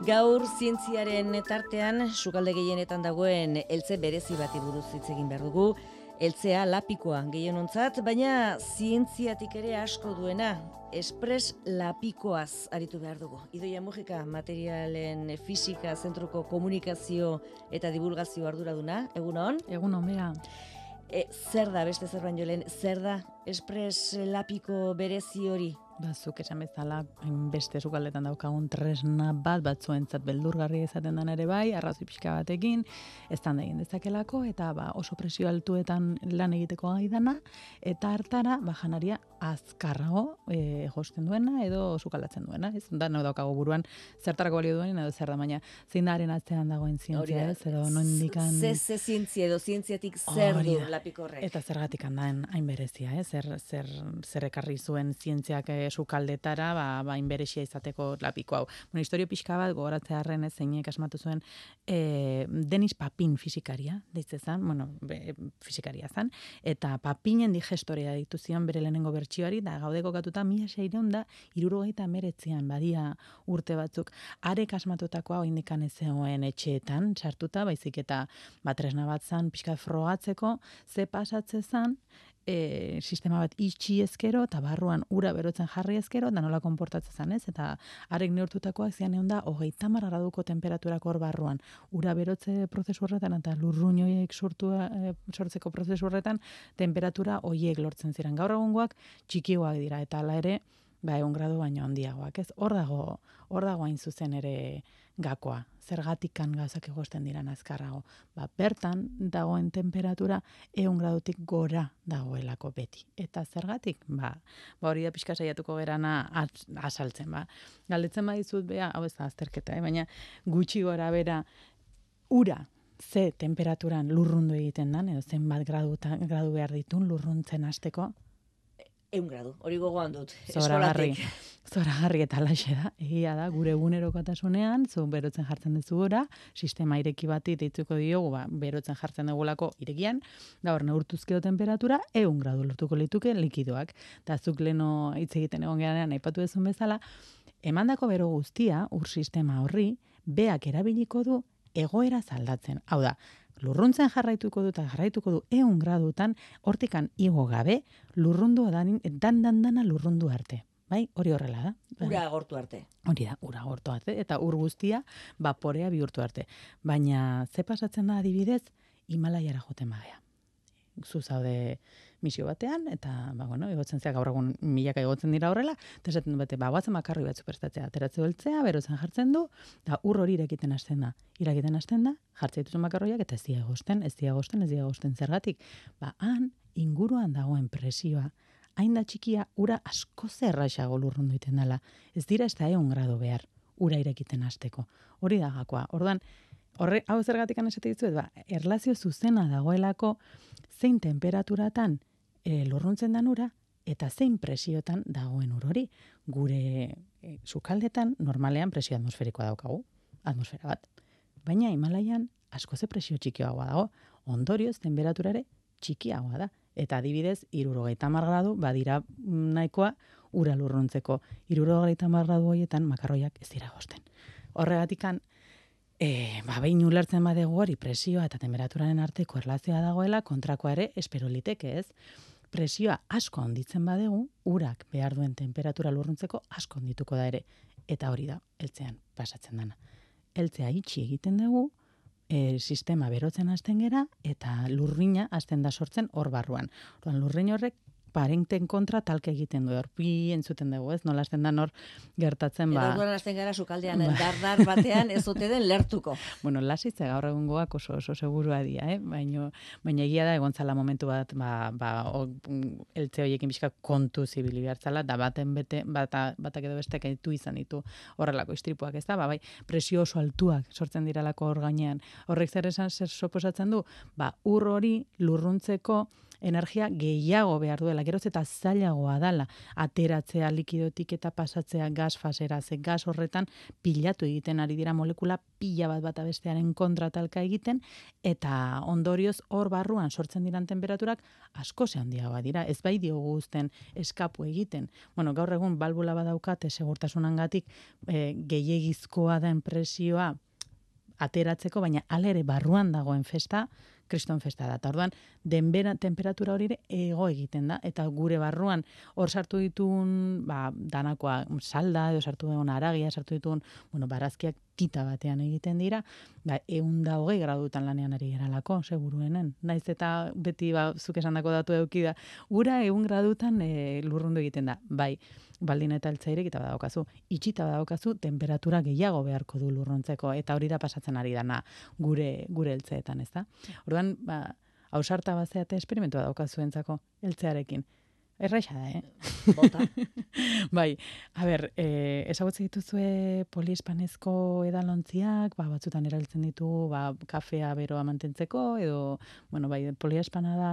Gaur zientziaren tartean sukalde gehienetan dagoen eltze berezi bati buruz hitz egin behar dugu. Eltzea lapikoa gehienontzat, baina zientziatik ere asko duena, espres lapikoaz aritu behar dugu. Idoia Mujika, materialen fisika zentruko komunikazio eta divulgazio arduraduna, egunon? Egunon, bera. Zer da, beste zer baino lehen, zer da espres lapiko berezi hori? Zuk esan bezala, hainbeste sukaldetan daukagun tresna batzuentzat beldurgarri izaten den ere bai, arrazoi pixka batekin, eztanda egin dezakelako, eta oso presio altuetan lan egiteko gai dana, eta hartara, janaria azkarrago josten duena edo sukaldatzen duena. Ez da, daukago buruan zertarako balio duen edo zer da, baina zein da haren atzean dagoen zientzia, ez, edo nondikan... Ze zientzia edo zientziatik zer du lapikorrek? Eta zergatik handaen hain berezia, zer ekarri zuen zientziak sukaldetara, hainberesia izateko lapiko hau. Bueno, historio pixka bat, gogoratzearren zeinek asmatu zuen Denis Papin fisikaria, deitzezan, fisikaria zan, eta Papinen digestorea ditu zion bere lehenengo bertsioari, da gaude kokatuta 1669 badia urte batzuk. Arek asmatutakoa oindikan ez zegoen etxeetan, sartuta, baizik eta tresna bat zan, pixka frogatzeko, ze pasatze zan, sistema bat itxi ezkero, eta barruan ura berotzen jarri ezkero, da nola konportatzen zan, ez? Eta arek neurtutakoak zian egon da, 30 graduko temperaturako hor barruan. Ura berotze prozesu horretan, eta lurruñoiek sortzeko prozesu horretan, temperatura hoiek lortzen ziren. Gaur egungoak txikiagoak dira, eta hala ere, 1 gradu baino handiagoak, ez? Hor dago hain zuzen ere gakoa. Zergatikan gauzak egosten diran azkarrago. Bertan dagoen temperatura 100 gradutik gora dagoelako beti. Eta zergatik? Hori da pixka saiatuko gerana azaltzen. Galdetzen badizut, hau ez da azterketa, baina gutxi gora bera ura ze temperaturan lurrundu egiten dan, edo zenbat gradu behar ditun lurruntzen hasteko, 100 gradu, hori gogoan dut, eskolatik. eskolatik. Zoragarri eta laxe da, egia da, gure egunerokotasunean, zu berotzen jartzen duzu gora, sistema ireki bati deitzuko diogu, berotzen jartzen dugulako irekian, da hor neurtuzkeo temperatura, 100 gradu lortuko lituke likidoak. Eta zuk leno hitz egiten egon geran aipatu duzun bezala, emandako bero guztia, ur sistema horri, beak erabiliko du egoera zaldatzen. Hau da, lurruntzen jarraituko du 100 gradutan, hortikan igo gabe, lurrundu dana lurrundu arte. Bai, hori horrela da. Ura agortu arte. Hori da, ura agortu arte, eta ur guztia vaporea bihurtu arte. Baina, ze pasatzen da adibidez, Himalaiara joten bagea. Zu zaude misio batean, eta, egotzen zea gaur egun milaka egotzen dira horrela, eta esaten du bate, guatzen makarri bat superstatzea, ateratze beltzea, berotzen jartzen du, eta ur hori irakiten hasten da, jartzea dituzun makarroiak, eta ez dira egosten, zergatik. Han, inguruan dagoen presioa, hain da txikia, ura asko zerraixago lurrundu iten dela. Ez dira ez da 100 gradu behar, ura irakiten hasteko. Hori da gakoa. Orduan, hau zergatik esate dizuet, erlazio zuzena dagoelako zein temperaturatan lurruntzen dan ura, eta zein presiotan dagoen ur hori. Gure sukaldetan normalean presio atmosferikoa daukagu, atmosfera bat. Baina Himalaian asko ze presio txikiagoa dago, ondorioz temperaturare txikiagoa da. Eta adibidez, 70 gradu badira nahikoa ura lurruntzeko. 70 gradu horietan makarroiak ez dira egosten. Horregatikan, behin ulertzen badegu hori presioa eta temperaturaren arteko erlazioa dagoela, kontrakoa ere espero liteke, ez? Presioa asko handitzen badegu, urak behar duen temperatura lurruntzeko asko handituko da ere. Eta hori da, eltzean pasatzen dana. Eltzea itxi egiten dugu, sistema berotzen hasten gera, eta lurrina hasten da sortzen hor barruan. Lurrin horrek parenten kontra talke egiten du, horpi entzuten dugu, ez? Nola hasten da hor gertatzen, Eta orduan hasten gara sukaldean dardar batean ez ote den lertuko. Lasitze gaur egungoak oso segurua dira, baina egia da egontzala momentu bat, eltze horiekin bizka kontu zibili behartzala, da batak edo bestek ditu izan ditu horrelako istripuak, ez da? Presio oso altuak sortzen diralako hor gainean. Horrek zer soposatzen du? Ur hori lurruntzeko energia gehiago behar duela, geroz eta zailagoa dala, ateratzea likidotik eta pasatzea gas fasera, ze gas horretan pilatu egiten ari dira molekula pila bat bata bestearen kontra talka egiten, eta ondorioz hor barruan sortzen diran temperaturak asko handiagoa dira, ez bai diogu uzten eskapu egiten. Bueno, gaur egun balbula badaukate segurtasunangatik gehiegizkoa den presioa ateratzeko, baina hala ere barruan dagoen festa, kriston festa da. Eta orduan, temperatura hori ere ego egiten da, eta gure barruan hor sartu ditun, danakoa salda, edo sartu ditun aragia, sartu ditun, barazkiak tita batean egiten dira, 120 gradutan lanean ari geralako, seguruenen. Naiz eta beti zuk esandako datu eduki da, ura 100 gradutan lurrundu egiten da. Bai, baldin eta eltza irekita badaukazu, itxita badaukazu, temperatura gehiago beharko du lurrontzeko, eta hori da pasatzen ari dana gure eltzeetan, ez da? Orduan, ausarta bazeate esperimentua daukazuentzako eltzearekin. Erraixa da, Bota. Bai, ezagutzen dituzue poliespanezko edalontziak, batzutan erabiltzen ditugu, kafea beroa mantentzeko, edo, poliespana da...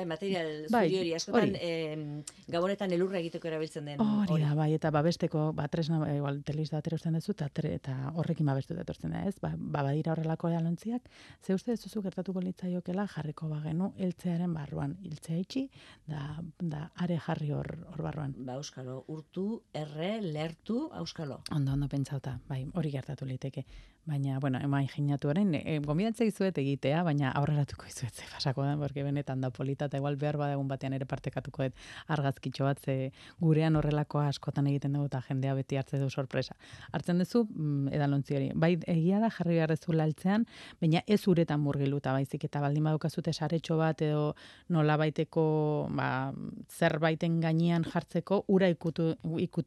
material zuri hori, askotan, gabonetan elurra egiteko erabiltzen den. Hori da, eta babesteko, tresna, igual, teliz da aterosten duzu, eta horrekin babestu etortzen da, ez? Badira horrelako edalontziak, ze uste duzu gertatuko litzaiokela jarriko bagenu eltzearen barruan. Hiltzea itxi, da are jarri hor barruan. Auskalo, urtu, lertu, auskalo. Ondo pentsauta, hori gertatu liteke. Baina, imajinatu orain, gomidatzea izuet egitea, baina aurreratuko izuet ze pasako da, porque benetan da polita, eta igual behar badagun batean ere partekatuko dut argazkitxo bat, ze gurean horrelakoa askotan egiten dugu, eta jendea beti hartzen du sorpresa. Hartzen duzu, edalontzi hori. Bai, egia da, jarri beharrezu laltzean, baina ez uretan murgiluta, baizik, eta baldin badukazute saretxo bat, edo nola baiteko, zerbaiten gainean jartzeko, ura ikutu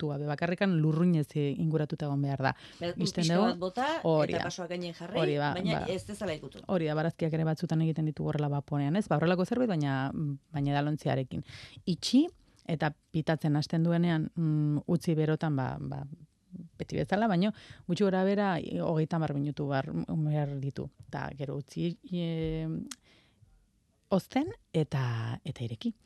gabe. Bakarrikan lurruinez inguratuta egon behar da. Pixka bat bota, eta pasoak gainen jarri, baina ez dezala ikutu. Hori da, barazkiak ere batzutan egiten ditu horrela baponean, ez? Horrelako zerbait, baina edalontziarekin. Itxi, eta pitatzen hasten duenean, utzi berotan, beti bezala, baina gutxi gora bera, 30 minutu behar ditu. Eta gero utzi ozten eta ireki.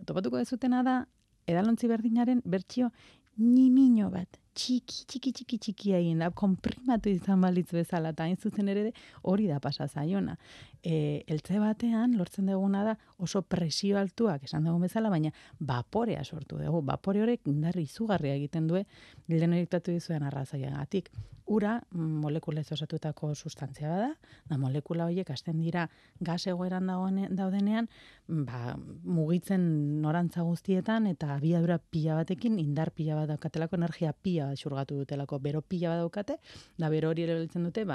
Topatuko dezutena da, edalontzi berdinaren bertsio nimino bat, txiki egin da, konprimatu izan balitz bezala, eta hain zuzen ere hori da pasa zaiona. Eltze batean, lortzen duguna da, oso presio altuak esan dugun bezala, baina vaporea sortu dugu. Vapore horrek indarri izugarria egiten du, bilden eriktatu dizuen arrazaiagatik. Ura, molekulez osatutako sustantzia bada, da molekula horiek hasten dira gas egoeran daudenean, mugitzen norantza guztietan, eta abiadura pila batekin, indar pila bat daukatelako, energia pila bat xurgatu dutelako, bero pila bat daukate, da bero hori erabiltzen dute,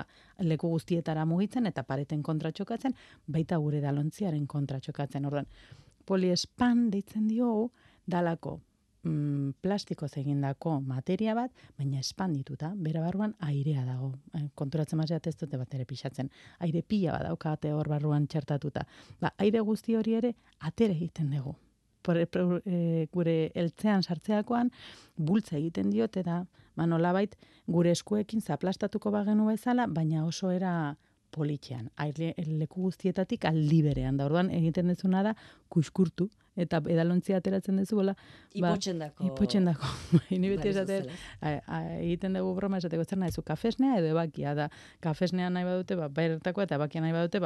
leku guztietara mugitzen, eta pareten kontra txokatzen, baita gure edalontziaren kontra txokatzen. Orduan, poliespan deitzen diogu, dalako plastikoz egindako materia bat, baina espandituta, bera barruan airea dago. Konturatzen mazeat ez dute bat ere pixatzen. Aire pila bat daukate hor barruan txertatuta. Aire guzti hori ere atere egiten dugu. Gure eltzean sartzeakoan bultza egiten diot, eta nolabait gure eskuekin zaplastatuko bagenu bezala, baina oso era politxean. Leku guztietatik aldi berean. Da orduan egiten dezuna da kuskurtu, eta edalontzia ateratzen dezuela. Ipotxendako. Ni beti esaten, egiten dugu broma esateko zer nahi zu, kafesnea edo ebakia da. Kafesnea nahi badute, bertakoa, eta ebakia nahi badute,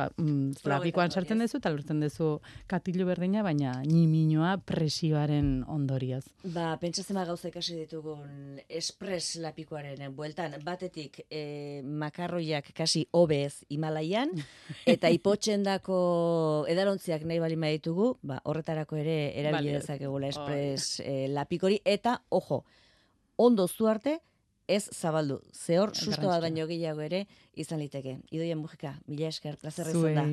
lapikoan sartzen dezu, eta lortzen dezu katilu berdina, baina niminoa presioaren ondorioz. Pentsatzen gauza ikasi ditugun espres lapikoaren bueltan, batetik makarroiak kasi obez Himalaian, eta ipotxendako edalontziak nahi bali ditugu, horretarako ere erabili dezakegula espres lapikori, eta, ojo, ondo zu arte, ez zabaldu. Zehor, susto bat baino gehiago ere izan liteke. Idoia Mujika, mila esker, plazer izan da.